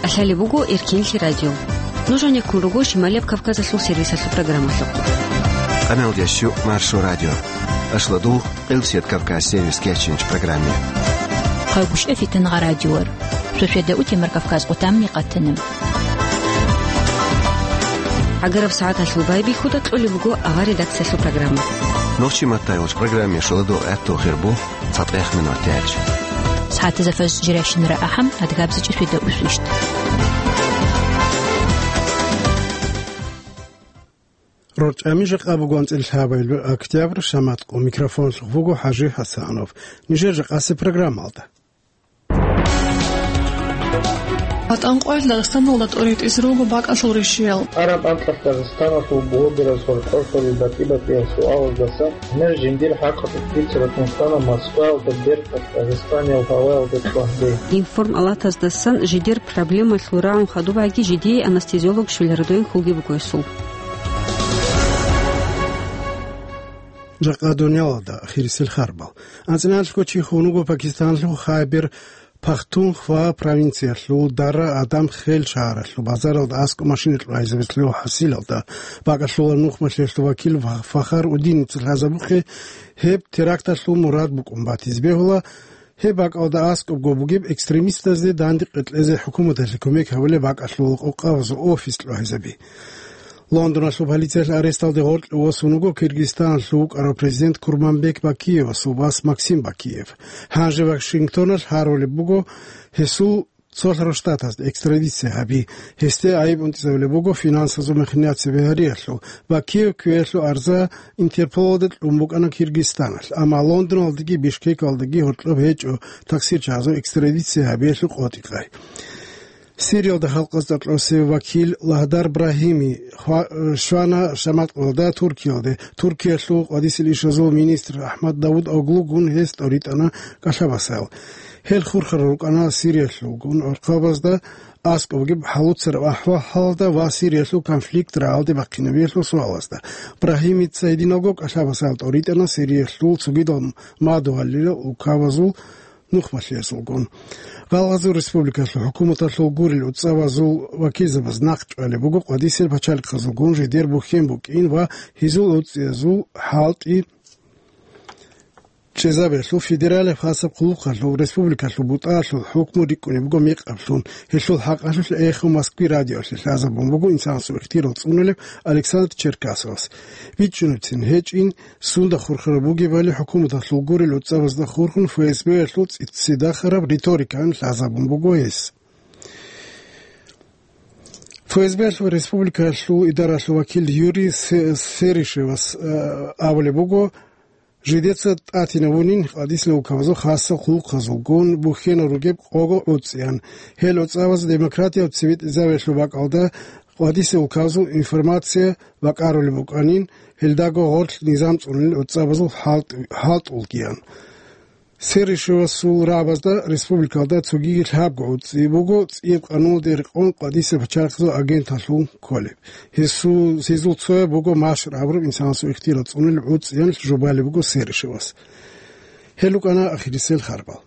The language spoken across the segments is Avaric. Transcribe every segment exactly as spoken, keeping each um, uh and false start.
Лъалеб буго Эркенлъи радио. Нуж гьанеккун руго Шималияб Кавказалъул сервисалъул программалъухъ. Къаналдящу Маршо радио. Ашладул Къилсият Кавказ сервис кечинч программе. Хъагушев Фитангъа радиор. Шошеда утемар Кавказ къутамни къатанаб. Агараб сагӀаталъул байбихьуда кьолеб буго авар редакциялъул программа. Нохчи матайулч программе шоладул гӀатту хирбу. ЦатӀех минутач. СагӀатазда фажр жирашинара ахӀам, адгабзичӀи шведа усвищ. РорчӀами жакъа бугон цӀилъабайл октябрь шаматкъу микрофонлъух буго ХӀажи ХӀасанов. Нижер жакъасе программалда. ГьатӀан къоялъ Дагъистаналда тӀоритӀизе руго бакӀалъул ришиял. Араб анкьалъ Дагъистаналъул блогераз гьоркьорлъарил батӀи-батӀиял суалаздасан гьанир жиндир хӀакъалъулъ бицараб инсанал Москваялда берталъ Дагъистаниял гьаваялда цӀвагьде. Информалатаздасан жидер проблемалъул рагӀун хадубаги жидее анестезиолог щвеларадойин хьулги буго гьесул. Жакъа дуниялалда ахирисел харбал. АнцӀинарлъго чи хун вуго Пакистанлъул Хайбер Пахтунхва провинциялъул Дара Адам Хел шагьаралъул базаралда аскӀоб машина кьвайзабизе лъугьа-хӀасилалда бакӀалъулаб нухмалъиялъул вакил Фахар Удиница лъазабухъе гьеб теракталъул мурад букӀун батизе бегьула, гьеб бакӀалда аскӀобго бугеб экстремистазде данде къетӀлъезе хӀукуматалъе кумек гьабулеб бакӀалъул къокъабазул офис кьвайзаби. Лондоналъул полициялъ аресталде гъоркье восун вуго Киргизстаналъув вукӀарав президент Курманбек Бакиевасул вас Максим Бакиев. Гьанже Вашингтоналъ гьарулеб буго гьесул Цолъарал Штатазда экстрадиция гьаби. Гьесде гӀайиб унтӀизабулеб буго финансазул махинация бигьариялъул. Бакиев кквеялъул арза Интерполалда кьун букӀана Киргизстаналъ, амма Лондоналдаги Бишкекалдаги гьоркьоб гьечӀо таксирчагӀазул экстрадиция гьабиялъул къотӀи-къай. Сириялда халкъазда кьосев вакил Лагьдар Брагьими хва-, э, щвана шаматкъалда Туркиялде. Туркиялъул къвадисел ишазул министр Ахмад Давуд Оглугун гьес тӀоритӀана кӀалъабасал. Гьел хурхарал рукӀана Сириялъулгун гӀурхъабазда аскӀоб бугеб хӀалуцараб ахӀвал-хӀалалда ва Сириялъул конфликт рагӀалде бахъинабиялъул суалазда. Брагьимица гьединалго кӀалъабасал тӀоритӀана Сириялъул цогидал мадугьалил укабазул нухмалъиязулгун. Гъалгъазул республикалъул хӀукуматалъул гурел уцӀабазул вакилзабаз нахъ чӀвалеб буго къвадисел пачалихъазулгун жидер бухьен букӀин ва гьезул уцӀиязул хӀалтӀи чӀезабиялъул федералияб хасаб хъулухъалъул республикалъул бутӀаялъул хӀукму рикӀкӀунеб буго мекъаблъун. Гьелъул хӀакъалъулъ «Эхо Москвы» радиоялъе лъазабун буго инсанасул ихтирал цӀунулев Александр Черкасовас. БичӀчӀунебцин гьечӀин, сунда хурхараб бугебали хӀукуматалъул гурел уцӀабазда хурхун ФСБ-ялъул цӀи-, цӀидахараб риторикаялъ лъазабун буго гьес. ФСБ-ялъул республикаялъул идаралъул вакил Юрий Се-, Серишевас, э, абулеб буго, жидеца тӀатинавунин къвадисел улкабазул хасал хъулухъазулгун бухьенал ругеб къого уцӀиян. Гьел уцӀабаз демократияб цебетӀезабиялъул бакӀалда къвадисел улкабазул информация бакӀарулеб букӀанин, гьелдаго гъорлъ низам цӀунил уцӀабазул хӀалтӀ-, хӀалтӀулгиян. Серишевасул рагӀабазда республикалда цогиги лъабго уцӀи буго, цӀияб къануналде рекъон къвадисел пачалихъазул агенталъун кколеб. Гьесул, гьезул цояб буго машгьур абураб инсанасул ихтирал цӀунулеб уцӀиялъ жубалеб буго Серишевас. Гьел рукӀана ахирисел харбал.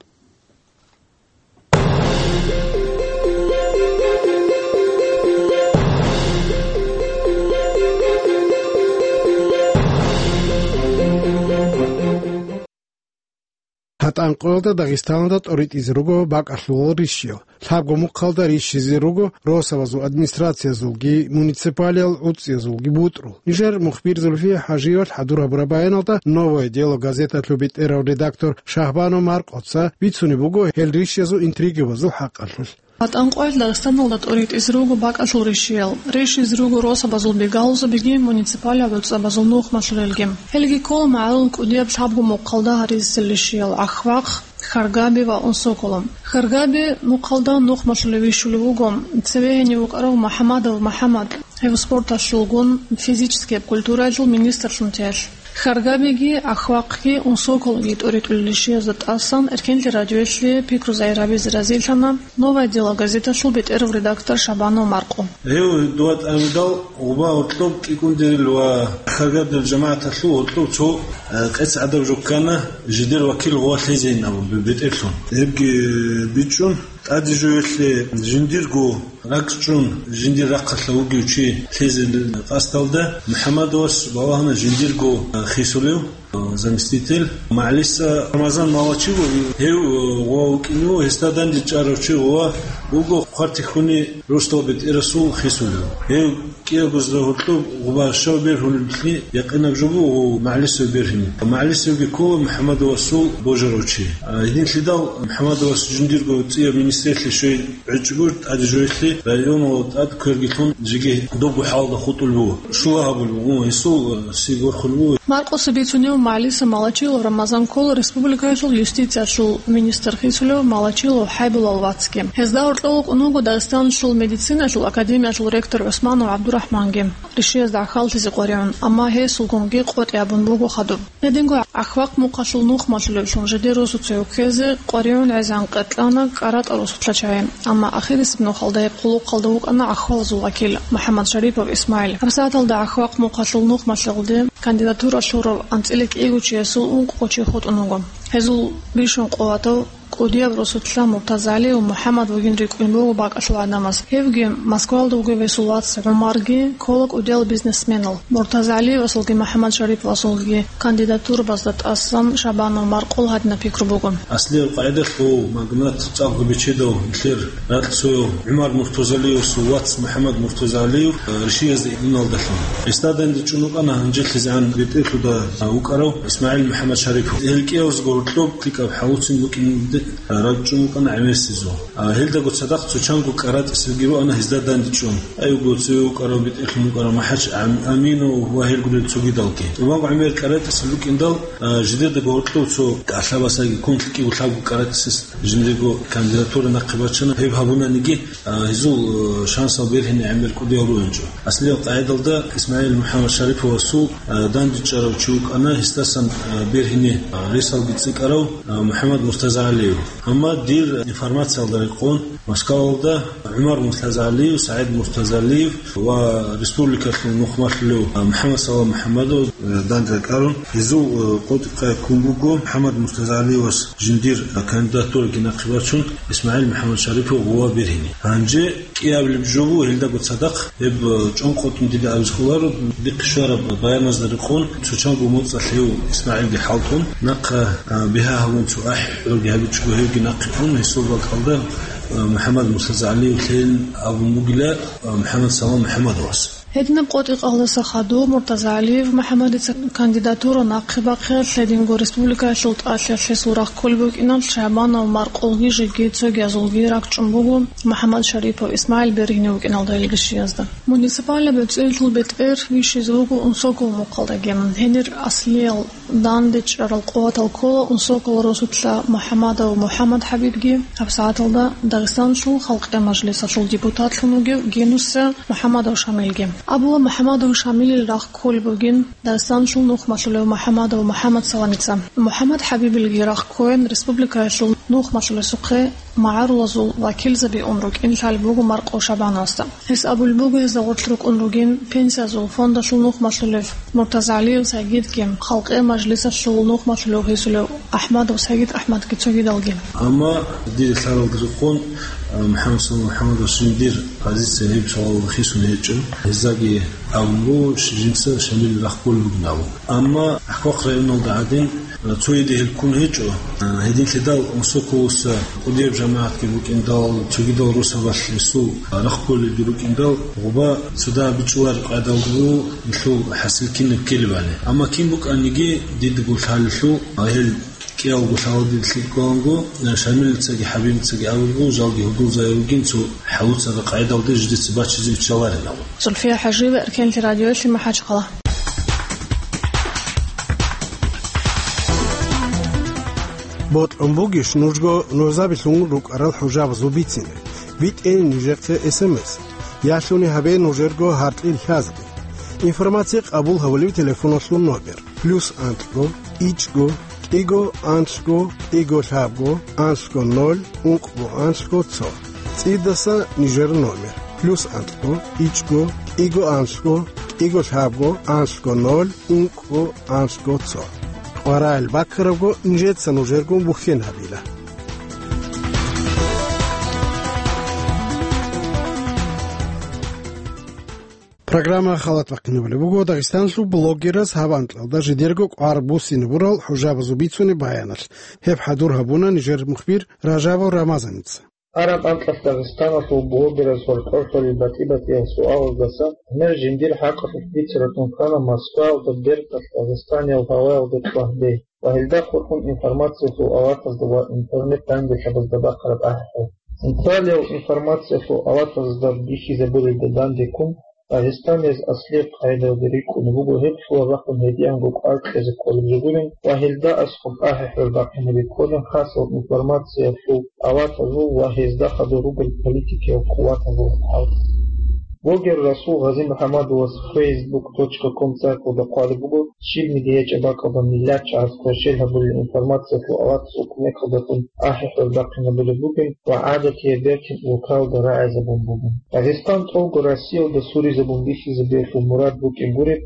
ГьатӀан къоялда Дагъистаналда тӀоритӀизе руго бакӀалъулал ришиял. Лъабго мухъалда ришизе руго росабазул администрациязулги, муниципалиял уцӀиязулги бутӀрул. Нижер мухбир Зульфия ХӀажиевалъ хӀадур гьабураб баяналда «Новое дело» газеталъул бетӀерав редактор Шагьбанов Маркъоца бицунеб буго гьел ришиязул интригабазул хӀакъалъулъ. ГьатӀан къоялъ Дагъистаналда тӀоритӀизе руго бакӀалъул ришиял. Ришизе руго росабазул бигалузабиги, муниципалияб уцӀабазул нухмалъулелги. Гьелги ккола магӀарул кӀудияб лъабго мухъалда гьаризесел ришиял: Ахвахъ, Харгаби ва Унсоколо. Харгаби мухъалда нухмалъулев вищулев вуго цеве гьенив вукӀарав МухӀамадов МухӀамад, гьев спорталъулгун, физическияб культураялъул министрлъун теялъ. Харгабиги, Ахвахъги, Унсоколги тӀоритӀулел ришиязда тӀасан Эркенлъи радиоялъе пикру загьир гьабизе разилъана «Новое дело» газеталъул бетӀерав редактор Шагьбанов Маркъо. Гьев дова тӀамидал гъуба гьоркьоб кӀикӀундерил ва Харгабдил жамагӀаталъул гьоркьоб цо, э, къец гӀадаб жо ккана, жидер вакил гъова лъезейин абун бе-, бетӀерлъун. Гьебги бичӀчӀун, ТӀаде жоялъе жиндирго ракӀчӀун, жиндир рахъалъа вугев чи лъезе къасдалда МухӀаммадовас балагьана жиндирго хисулев, заместитель, МагӀлиса Рамазан Малачилов, гьев гъова вукӀине вуго, гьесда дандечӀарав чи гъова вуго Хъвартихьуни Рустал БетӀерасул хисулев. Гьев кӀиябго зда гьоркьоб гъуба щав бергьулеблъи якъинаб жо буго МагӀлисев бергьине. МагӀлисевги ккола МухӀаммадовасул божарав чи. А, гьединлъидал МухӀаммадовас жиндирго цӀияб министрлъи щвей гӀечӀого, тӀаде жоялъе районал тӀад кверги лъун, жеги добго хӀалда хутӀулеб буго. Щула гьабулеб буго, гьесул, а, си борхулеб буго. Маркъоса бицунев МагӀлиса Малачилов Рамазан ккола республикаялъул юстициялъул министр хисулев Малачилов ХӀайбулал вацги. Гьезда гьоркьов вукӀун вуго Дагъистаналъул медициналъул академиялъул ректор ГӀусманов ГӀабдурахӀманги, ришиязда гӀахьаллъизе къваригӀун, амма гьесулгунги къотӀи абун буго хадуб. Гьединго ГӀахвахъ мухъалъул нухмалъулевлъун жидер росуцояв ккезе къваригӀун гӀезегӀан къеркьана КӀаратӀа росулъа чагӀи, амма ахирисеб нухалда гьеб хъулухъалда вукӀана гӀахьвалазул вакил МухӀаммад Шарипов ИсмагӀил. ГьабсагӀаталда ГӀахвахъ мухъалъул нухмалъулде кандидатура лъурав анцӀила кӀиго чиясул ункъго чи хутӀун вуго. Гьезул бищун къуватав кӀудияб росулъа МуртазагӀалиев МухӀаммад вугин рикӀкӀун буго бакӀалъул гӀадамаз. Гьевги Москвалда вугев гьесул вац ГӀумарги ккола кӀудиял бизнесменал. МуртазагӀалиевасулги МухӀаммад Шариповасулги кандидатурабазда тӀасан Шабанов Маркъул гьадинаб пикру буго. Аслияб къагӀидалъ гъов магнат, цӀакъго бечедав, нилъер ракьцояв ГӀумар Муртазагьалиевасул вац МухӀаммад Муртазагьалиев, э, ришиязда иналдалъун. Гьесда дандечӀун вукӀана гьанжелъизегӀан бетӀерлъуда, а, вукӀарав ИсмагӀил МухӀаммад Шарипов. Гьел кӀиявазго гьоркьоб лъикӀаб хӀалуцин букӀинде ракӀчӀун вукӀана гӀемерисезул. А, гьелдаго цадахъ цо чанго КӀаратӀисалги руана гьезда дандечӀун. Айвго цеве вукӀарав бетӀерлъун вукӀарав МахӀач Ам-, Аминов ва гьел гурел цогидалги. Имам ГӀумер КӀаратӀисал рукӀиндал, а, жидердаго гьоркьов цо кӀалъабасаги ккун лъикӀго лъабго КӀаратӀисас жиндирго кандидатура нахъе бачана. Гьеб гьабунаниги, а, гьезул, а, шансал бергьине гӀемер кӀудиял ругьинчӀо. Аслияб къагӀидалда ИсмагӀил МухӀаммад Шариповасул, а, дандечӀарав чи вукӀана, гьесдасан, а, бергьине, а, ресалги цӀикӀкӀарав, а, МухӀаммад Муртазагьалиев. Амма дир информациялда рекъон, Москвалда ГӀумар Муртазагьалиев, СагӀид Муртазагьалиев ва республикалъул нухмалъулев МухӀаммад Салам МухӀаммадов данде ракӀарун, гьезул, э, къотӀи-къай ккун буго МухӀаммад Муртазагьалиевас жиндир кандидатураги нахъе бачун ИсмагӀил МухӀаммад Шарипов гъова бергьине. Гьанже кӀиабилеб жо буго гьелдаго цадахъ, гьеб, э, чӀон къотӀун дида абизе кколаро, дихъе щвараб баяназда рекъон, цо чанго моцӀалъ гьев ИсмагӀилги хӀалтӀун, нахъа, э, бигьа гьавун цо ахӀи-хӀураги гьабичӀого гьевги нахъе ун, гьесул бакӀалда, э, МухӀаммад Муртазагьалиев лъеян абун бугила, э, МухӀаммад Салам МухӀаммадовас. Гьединаб къотӀи-къалдаса хадуб Муртазагьалиев МухӀаммадица кандидатура нахъе бахъиялъ, гьединго республикаялъул тӀалъиялъ гьесул рахъ кколеб букӀиналъ Шабанов Маркъулги жеги цогиязулги ракӀчӀун буго МухӀаммад Шарипов ИсмагӀил бергьине вукӀиналда илгьишиязда. Муниципалаб бецӀерлъул бетӀер вищизе вуго Унсокол мухъалдаги. Гьенир аслиял дандечӀарал къуватал ккола Унсокол росулъа МухӀаммадов МухӀаммад ХӀабибги, гьабсагӀаталда Дагъистаналъул Халкъи Мажлисалъул депутатлъун вугев Генуса МухӀаммадов Шамилги. Абула МухӀаммадов Шамилил рахъ кколеб бугин Дагъистаналъул нухмалъулев МухӀаммадов МухӀаммад Саламица. МухӀаммад ХӀабибилги рахъ ккоян республикаялъул нухмалъулесухъе магӀарулазул вакилзаби ун рукӀин лъалеб буго Маркъо Шабановасда. Гьес абулеб буго, гьезда гъорлъ рукӀун ругин пенсиязул фондалъул нухмалъулев Муртазагьалиев Сагидги, Халкъи Мажлисалъул нухмалъулев гьесулев АхӀмадов Сагид АхӀмадги цогидалги. Амма дир лъаралда рекъон, а, МухӀаммад Салам МухӀаммадовас жиндир позиция гьеб суалалда хисун гьечӀо. Гьездаги абун буго, жинца Шамил рахъ кколеб бугин абун. Амма ГӀахвахъ районалда гӀадин, а, цо гьеде гьел ккун гьечӀо. А, гьединлъидал Унсоколоса кӀудияб жамагӀатги букӀиндал, цогидал росабалъ гьесул рахъ кколелги рукӀиндал, гъуба цо дагьаб бичӀчӀулареб къайдалда буго нилъул хӀасил кинаб ккелебали. Амма кин букӀаниги, дидаго лъалелъул, а, гьел кӀиялго лъала дида лъикӀ кколанго, а, Шамилицаги ХӀабибицаги абулеб буго, жалги гьудулзаби ругин, цо хӀалуцараб къайдалда жидеца бачизе биччаларин абун. Зульфия ХӀажиева, Эркенлъи радиоялъе, МахӀачхъала. Бокьун бугищ нужго нужабилъун рукӀарал хӀужабазул бицине? БитӀе нижехъе эс эм эс. Ялъуни гьабе нужерго гьаркьил лъазги. Информация къабул гьабулев телефоналъул номер: плюс анкьго, ичӀго, кӀиго, анлъго, кӀиго, лъабго, анлъго, ноль, ункъго, анлъго, цо. ЦӀидаса нижер номер: плюс анкьго, ичӀго, кӀиго, анлъго, кӀиго, лъабго, анлъго, ноль, ункъго, анлъго, цо. КъварагӀел баккарабго нижеца нужерго бухьен гьабила. Программа халат бахъинабулеб буго Дагъистаналъул блогераз гьаб анкьалда жидерго кӀвар буссинабурал хӀужабазул бицунеб баяналъ. Гьеб хӀадур гьабуна нижер мухбир Ражабов Рамазаница. Гьараб анкьалъ Дагъистаналъул блогераз гьоркьор лъолеб батӀи-батӀиял суалаздаса гӀемер жиндир хӀакъалъулъ бицаратун ккана Москваялда берталъ Дагъистаниял гьаваялда кьвагьде ва гьелда хурхун информациялъул аватазда ва интернет-данделъабазда бахъараб ахӀи-хӀур. Централиял информациялъул аватазда бихьизабурелда дандеккун, Дагъистаниз аслияб къагӀидаялда рикӀкӀунеб буго гьеб лъугьа-бахъун гьединго кӀвар кьезе кколеб жо гурин ва гьелда аскӀоб ахӀи-хӀур бахъинаб бихьулин хасал информациялъул аватазул ва гьезда хадур ругел политикиял къуватазул хӀал. Блогер Расул ГъазимухӀаммадовас фейсбук точка ком сайталда хъвалеб буго, щибниги гьечӀеб бакӀалда миллат чагӀаз кверщел гьабулел информациялъул аватазул кумекалдалъун ахӀи-хӀур бахъинабулеб бугин ва гӀадатияб бертин улкаялда рагӀизабун бугин. Дагъистан тӀолго Россиялда суризабун бихьизабиялъул мурад букӀин гуреб,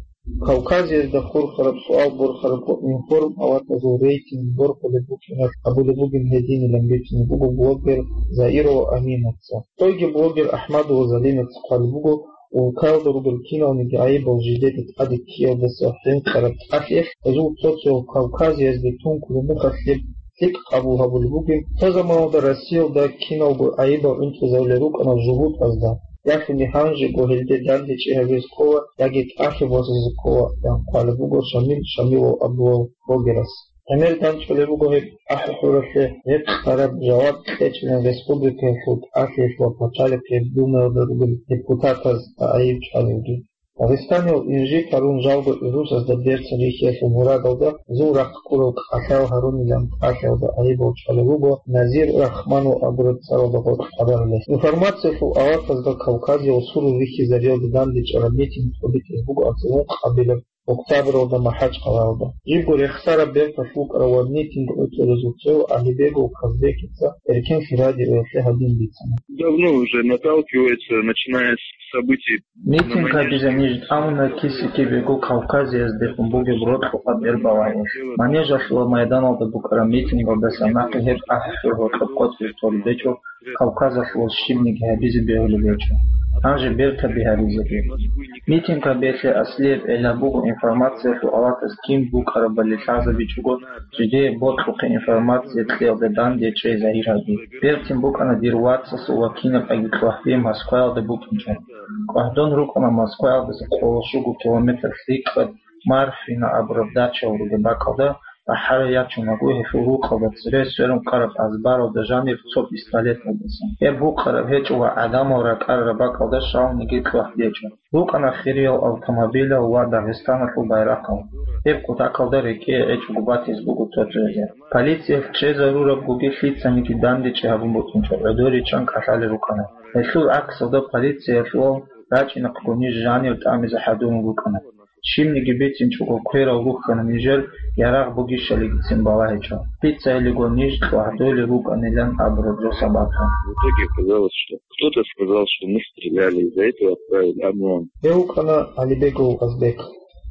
Кавказиязда хурхараб суал борхараб ва информ аватазул рейтинг борхулеб букӀиналъ гьабулеб бугин гьединилан бицунеб буго блогер Заирова Аминаца. Цойги блогер Ахмадова Залинаца хъвалеб буго, улкаялда ругел киналниги гӀайибал жидеда тӀаде ккеялдаса хӀинкъараб тӀалъиялъ гьезул цо-цоял Кавказиязде тункулеб мехалъ гьеб лъикӀ къабул гьабулеб бугин, цо заманалда Россиялда киналго гӀайибал гӀунтӀизабулел рукӀана жугьутӀазда, ялъуни гьанжего гьелде дандечӀи гьабизе ккола яги тӀалъи босизе ккола, ян хъвалеб буго Шамил Шамилов абулев блогерас. ГӀемер дандчӀвалеб буго гьеб ахӀи-хӀуралъе гьеб къараб жаваб кьечӀилан республикаялъул ТӀалъиялъ ва Пачалихъе Думаялда ругел депутатаз гӀайиб чӀвалевги. Дагъистаниял инжит гьарун жалго гӀурусазда берцин рихьиялъул мурадалда зул рахъ ккурал кӀалъал гьарунилан тӀалъиялда гӀайибал чӀвалел руго Назир Рахманов абураб цӀаралда гъоркь хабар лъезе. Информациялъул аватазда Кавказиял сурул рихьизариялда дандечӀараб митинг тӀобитӀизе буго анцӀбукъабилеб октябралда МахӀачкъалаялда. Жибго рехсараб берталъ вукӀарав ва митинг гӀуцӀарабазул цояв Алибегов Казбекица Эркенлъи радиоялъе гьадин бицана. Давно уже наталкивается, начиная с событий. Митинг гьабизе ниж тӀамуна Кисики-Бегу Кавказиязде хун бугеб рокьукъаб бербалагье. Манежалъула майданалда букӀараб митингалдаса нахъе гьеб ахӀи-хӀур гьоркьоб къотӀизе толеб гьечӀо, Кавказалъула щибниги гьабизе бегьулеб гьечӀо. Гьанже бертаби гьабизеги. Митинг гьабиялъе аслияб гӀилла буго информациялъул аватаз кин букӀарабали лъазабичӀого, жидее бокьухъе информация кьеялда дандечӀей загьир гьаби. Бертин букӀана дир вацасул ва кинаб аги кьвагьби Москваялда букӀинчӀо. КӀвагьдон рукӀана Москваялдаса къоло щуго километр лъикӀаб Марфина абураб дачаялъ ругеб бакӀалда, бахӀарай ячунаго гьелъул рукъалда цере сверун къараб азбаралда жанир цо пистолеталдаса. Гьеб гьукъараб гьечӀо ва гӀадамал ракӀарараб бакӀалда щалниги кьвагьби гьечӀо. Рукъана хириял автомобилал ва Дагъистаналъул байрахъал. Гьеб кутакалда рекӀее гӀечӀого батизе буго цо-цоязе. Полициялъ чӀезарурабгоги лъицаниги дандечӀи гьабун букӀинчӀо гӀодор ричӀчӀан кӀалъалел рукӀана. Гьелъул гӀаксалда полициялъул рачӀинахъего ниж жанир тӀамизе хӀадурун рукӀана. Щибниги бицинчӀого кверал рухьана нижер ярагъ бугищалигицин балагьичӀо. Бицайилиго ниж кьвагьдолел рукӀанилан абураб жо сабаблъун. В итоге оказалось, что кто-то сказал, что мы стреляли, из-за этого отправили ОМОН. Гьев вукӀана Алибегов Казбек.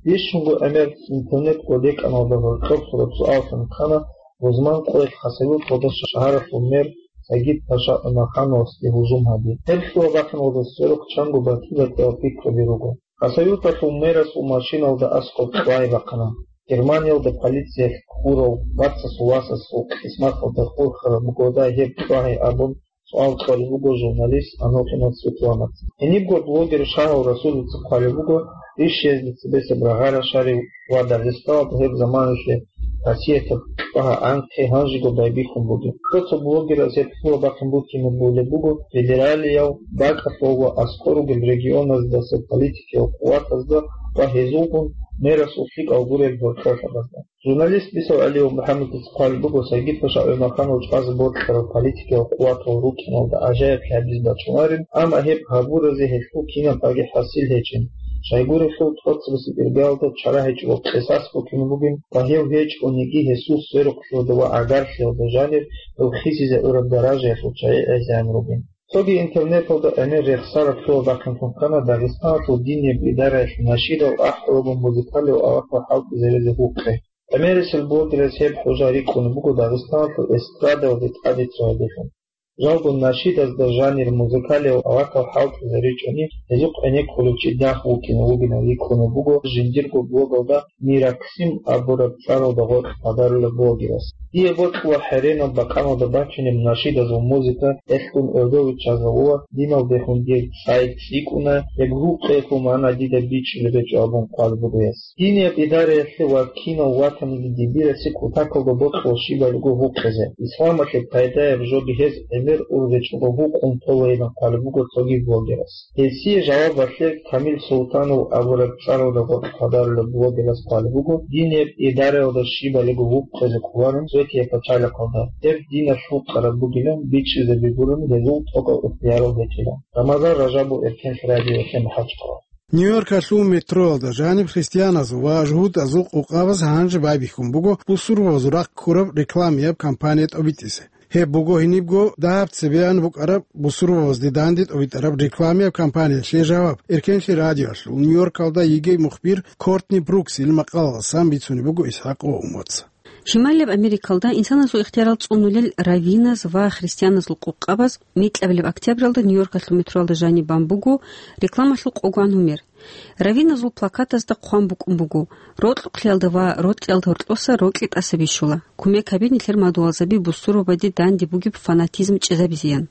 Бищунго гӀемер интернет кӀодекӀаналда гьоркьоб сураб суаллъун ккана рузман къоялъ Хасавюрталда шагьаралъул мэр Сагид-паша ГӀумахановасде гьужум гьаби. Гьеб лъугьа-бахъиналда сверухъ чанго батӀи-батӀиял пикраби руго. Хасавюрталъул мэрасул машиналда аскӀоб кьвагьи бахъана. Германиялда полициялъ хьурав вацасул васасул кьисматалда хурхараб бугодай гьеб кьвагьи абун суал кьолеб буго журналист Анохинов Светланаца. Гьенибго блогер Шагьав Расулица хъвалеб буго, Ришиязде цебесеб рагъа рашарив ва Дагъистаналда гьеб заманалъе хасиятаб кьвагьа анкьи гьанжего байбихьун бугеб. Цо-цо блогераз гьеб лъугьа бахъин букӀине бегьулеб буго федералиял бакӀалъул ва аскӀор ругел регионаздаса политикиял къуватазда ва гьезулгун мерасул лъикӀал гурел гьоркьорлъабазда. Журналист Бисер ГӀалиев МухӀаммадица хъвалеб буго, Сагид-паша ГӀумаханов чӀвазе бокьараб политикиял къуватал рукӀиналда ажаяблъи гьабизе бачӀунарин, амма гьеб гьабуразе гьелъул кинаб аги хӀасил гьечӀин. Щайгурелъул тӀоцебесеб иргаялда чара гьечӀого къисас букӀине бугин ва гьев гьечӀониги гьесул сверухълъиялда ва гӀагарлъиялда жанир гьев хисизе гӀураб даражаялъул чагӀи гӀезегӀан ругин. Цоги интернеталда гӀемер рехсараб лъугьа-бахъинлъун ккана Дагъистаналъул динияб идараялъ нашидал ахӀулаго музыкалияб аватал хӀалтӀизаризе гьукъи. ГӀемерисел блогераз гьеб хӀужа рикӀкӀунеб буго Дагъистаналъул эстрадалде тӀаде цо гьабилъун. Жалго, нашидазда жанир музыкалияв аварагал хӀалтӀизе ричӀони, гьезухъ гӀенеккулев чи дагь вукӀине вугилан рикӀкӀунеб буго жиндирго блогалда Мираксим абураб цӀаралда гъоркь хъвадарулеб блогерас. Дие бокьула хӀеренаб бакъаналда бачунеб нашидазул музыка, гьелъун гӀодов виччазавула, диналдехун дир сайт цӀикӀкӀуна, гьеб гьукъиялъул магӀна дида бичӀчӀизе гьечӀо абун хъван буго гьес. Динияб идараялъе ва кинав ватаниги дибирасе кутакалда бокьула щибалиго гьукъизе. Исламалъе пайдаяб жо бигьез гӀемер ургъечӀого гьукъун толейилан хъван буго цоги блогерас. Гьесие жавабалъе Камил Султанов абураб цӀаралда гъоркь хъвадарулеб блогерас хъван буго, динияб идараялда щибалиго гьукъизе кӀоларин Светия пачалихъалда, гьеб диналъ гьукъараб бугилан бичӀчӀизаби гурони гьезул тӀокӀаб ихтиярал гьечӀила. Рамазан Ражабов, Эркенлъи радиоялъе, МахӀачхъала. Нью-Йоркалъул метроялда жаниб христианазул ва жугьутӀазул къокъабаз гьанже байбихьун буго бусурбабазул рахъ ккураб рекламияб кампания тӀобитӀизе. Гьеб буго гьенибго дагьаб цебеян букӀараб бусурбабазде данде тӀобитӀараб рекламияб кампаниялъе жаваб. Эркенлъи радиоялъул Нью-Йоркалда йигей мухбир Кортни Бруксил макъалаласан бицунеб буго ИсхӀакъ ва Умаца. Шималияб Америкалда инсанасул ихтиярал цӀунулел раввиназ ва христианазул къокъабаз микьабилеб октябралда Нью-Йоркалъул метроялда жаниб бан буго рекламалъул къогоан гьумер. Раввиназул плакатазда хъван букӀун буго: «Рокьукълъиялда ва рокьиялда гьоркьоса рокьи тӀаса бищула. Кумек гьабе нилъер мадугьалзаби бусурбабаде данде бугеб фанатизм чӀезабизеян».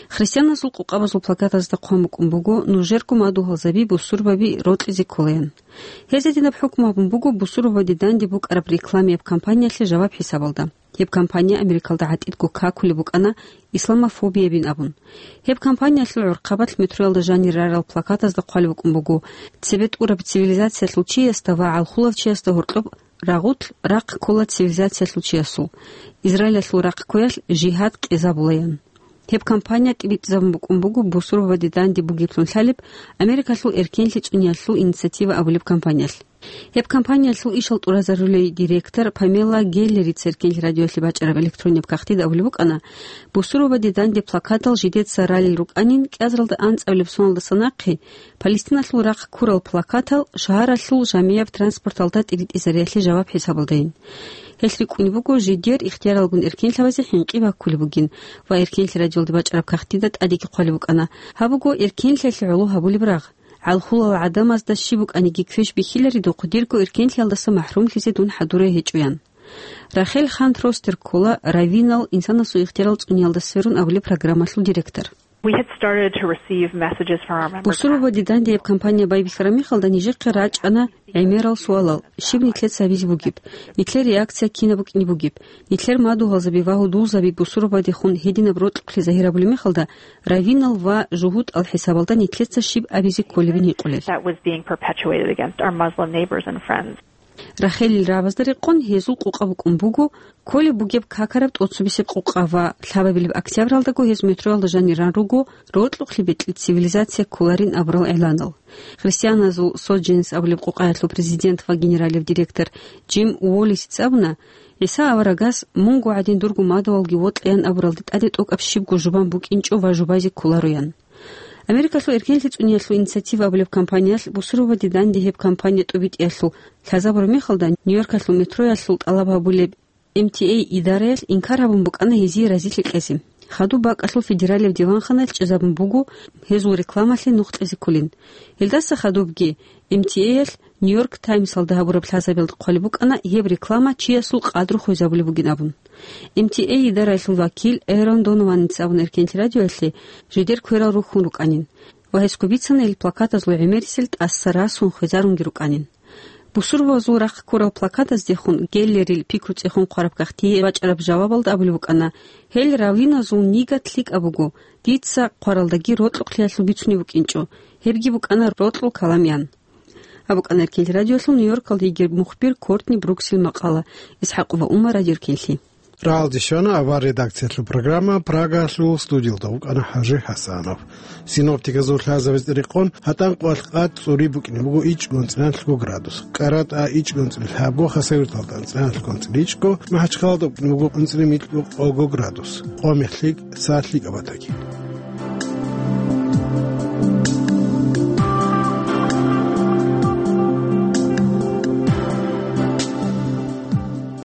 Христианазул къокъабазул плакатазда хъван букӀун буго: «Нужерго мадугьалзаби бусурбаби рокьизе кколаян». Гьез гьединаб хӀукму гьабун буго бусурбабаде данде букӀараб рекламияб кампаниялъе жаваб хӀисабалда. Гьеб кампания Америкалда гӀатӀидго какулеб букӀана исламофобиябин абун. Гьеб кампаниялъул гӀурхъабалъ метроялда жанир рарал плакатазда хъвалеб букӀун буго: «Цебе тӀураб цивилизациялъул чиясда ва гӀалхулав чиясда гьоркьоб рагъулъ рахъ ккола цивилизациялъул чиясул. Израилалъул рахъ ккоялъ жигьад къезабулаян». Гьеб кампания тӀибитӀизабун букӀун буго бусурбабаде данде бугеблъун лъалеб Америкалъул эркенлъи цӀуниялъул инициатива абулеб кампаниялъ. Гьеб кампаниялъул ишал тӀуразарулей директор Памела Геллерица Эркенлъи радиоялъе бачӀараб электроннияб кагътида абулеб букӀана: «Бусурбабаде данде плакатал жидеца ралел рукӀанин, кӀиазаралда анцӀабилеб соналдаса нахъе Палестиналъул рахъ ккурал плакатал шагьаралъул жамияб транспорталда тӀибитӀизариялъе жаваб хӀисабалдайин. Гьелъ рикӀкӀунеб буго жидер ихтияралгун эркенлъабазе хӀинкъи баккулеб бугин ва Эркенлъи радиоялде бачӀараб кагътида тӀадеги хъвалеб букӀана: Гьаб буго эркенлъиялъе гӀоло гьабулеб рагъ. ГӀалхулал гӀадамазда щиб букӀаниги квеш бихьилари духъ дирго эркенлъиялдаса махӀрумлъизе дун хӀадурай гьечӀоян». Рахел Хан Тростер ккола раввинал инсанасул ихтиярал цӀуниялда сверун абулеб программалъул директор. We had started to receive messages from our member Бусурбабаде данде гьеб кампания байбихьараб мехалда нижехъе рачӀана гӀемерал суалал: щиб нилъеца гьабизе бугеб? Нилъер реакция кинаб букӀине бугеб? Нилъер мадугьалзаби ва гьудулзаби бусурбабадехун гьединаб рокьукълъи загьир гьабулеб мехалда, раввинал ва жугьутӀал хӀисабалда нилъеца щиб абизе кколебин гьикъулел. That was being perpetuated against our Muslim neighbors and friends. Рахелил рагӀабазда рекъон гьезул къокъа букӀун буго, кколеб бугеб какараб тӀоцебесеб къокъа ва лъабабилеб октябралдаго гьез метроялда жанир ран руго рокьукълъи бекьи цивилизация кколарин абурал игӀланал. Христианазул Содженс абулеб къокъаялъул президент ва генералияб директор Джим Уоллисица абуна: «ГӀиса аварагас: Мунго гӀадин дурго мадугьалги вокьаян абуралде тӀаде тӀокӀаб щибго жубан букӀинчӀо ва жубазе кколароян». Америкалъул эркенлъи цӀуниялъул инициатива абулеб кампаниялъ бусурбабаде данде гьеб кампания тӀубитӀиялъул лъазабураб мехалда, Нью-Йоркалъул метроялъул тӀалаб гьабулеб М Т А идараялъ инкар гьабун букӀана гьезие разилъи кьезе. Хадуб бакӀалъул федералияб диванханаялъ чӀезабун буго гьезул рекламалъе нух кьезе кколин. Гьелдаса хадубги М Т А-ялъ Нью-Йорк Таймсалда гьабураб лъазабиялда хъвалеб букӀана гьеб реклама чиясул къадру хвезабулеб бугин абун. М Т А идараялъул вакил Эрон Донованица абун Эркенлъи радиоялъе жидер кверал рухьун рукӀанин ва гьесго бицана ил плакатазул гӀемерисел тӀаса расун хвезарунги рукӀанин. Бусурбабазул рахъ ккурал плакатаздехун Геллерил пикру цӀехун хъвараб кагътие бачӀараб жавабалда абулеб букӀана: «Гьел раввиназул нигат лъикӀаб буго, дица хъваралдаги рокьукълъиялъул бицунеб букӀинчӀо, гьебги букӀана рокьул каламиян». Гьаб букӀана Эркенлъи радиоялъул Нью-Йоркалда йигей мухбир Кортни Бруксил макъала. ИсхӀакъова Умар, Радио Эркенлъи. Рагьалде щвана авар редакциялъул программа Прагалъул, студиялда вукӀана ХӀажи ХӀасанов. Синоптиказул лъазабизе рекъон гьатӀан къоялъ къад цӀури букӀине буго ичӀго анцӀила градус, КӀаратӀа ичӀго анцӀила лъабго, Хасавюрталда анцӀила гьанкьго анцӀила ичӀго, МахӀачхъалада букӀине буго анцӀила микьго къого градус, къо мехлъи са лъикӀаб батаги.